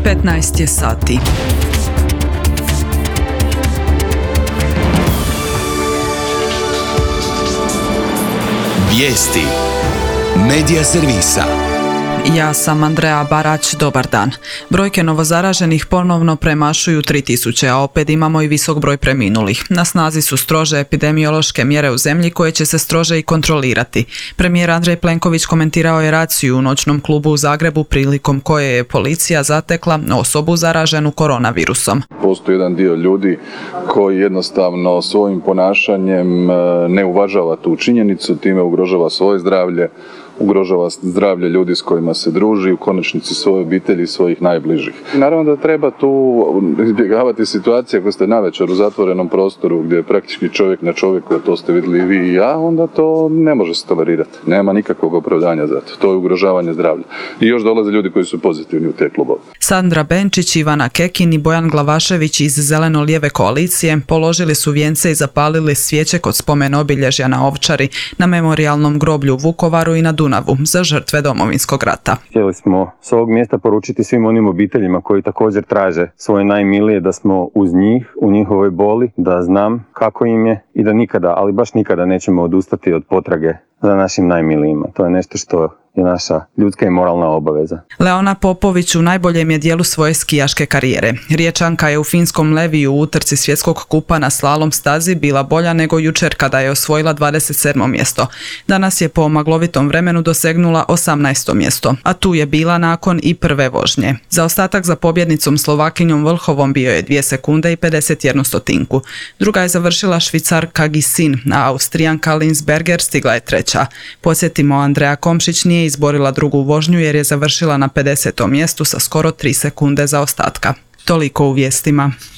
15 je sati. Vijesti Medija servisa. Ja sam Andrea Barać, dobar dan. Brojke novozaraženih ponovno premašuju 3000, a opet imamo i visok broj preminulih. Na snazi su strože epidemiološke mjere u zemlji koje će se strože i kontrolirati. Premijer Andrej Plenković komentirao je raciju u noćnom klubu u Zagrebu prilikom koje je policija zatekla osobu zaraženu koronavirusom. Postoji jedan dio ljudi koji jednostavno svojim ponašanjem ne uvažava tu činjenicu, time ugrožava svoje zdravlje, ugrožava zdravlje ljudi s kojima se druži, u konačnici svoje obitelji i svojih najbližih. Naravno da treba tu izbjegavati situacije ako ste navečer u zatvorenom prostoru gdje je praktički čovjek na čovjeku, a to ste vidjeli i vi i ja, onda to ne može se tolerirati. Nema nikakvog opravdanja za to. To je ugrožavanje zdravlja. I još dolaze ljudi koji su pozitivni u te klubove. Sandra Benčić, Ivana Kekin i Bojan Glavašević iz Zeleno-lijeve koalicije položili su vijence i zapalili svijeće kod spomen obilježja na Ovčari, na memorijalnom groblju u Vukovaru i na Dunavu za žrtve Domovinskog rata. Htjeli smo s ovog mjesta poručiti svim onim obiteljima koji također traže svoje najmilije da smo uz njih, u njihovoj boli, da znam kako im je i da nikada, ali baš nikada nećemo odustati od potrage za našim najmilijima. To je nešto što je naša ljudska i moralna obaveza. Leona Popović u najboljem je dijelu svoje skijaške karijere. Riječanka je u finskom Leviju u utrci svjetskog kupa na slalom stazi bila bolja nego jučer kada je osvojila 27. mjesto. Danas je po maglovitom vremenu dosegnula 18. mjesto, a tu je bila nakon i prve vožnje. Zaostatak za pobjednicom Slovakinjom Vlhovom bio je 2 sekunde i 51 stotinku. Druga je završila Švicarka Gisin, a Austrijanka Linsberger stigla je treća. Podsjetimo, Andreja Komšić nije izborila drugu vožnju jer je završila na 50. mjestu sa skoro 3 sekunde zaostatka. Toliko u vijestima.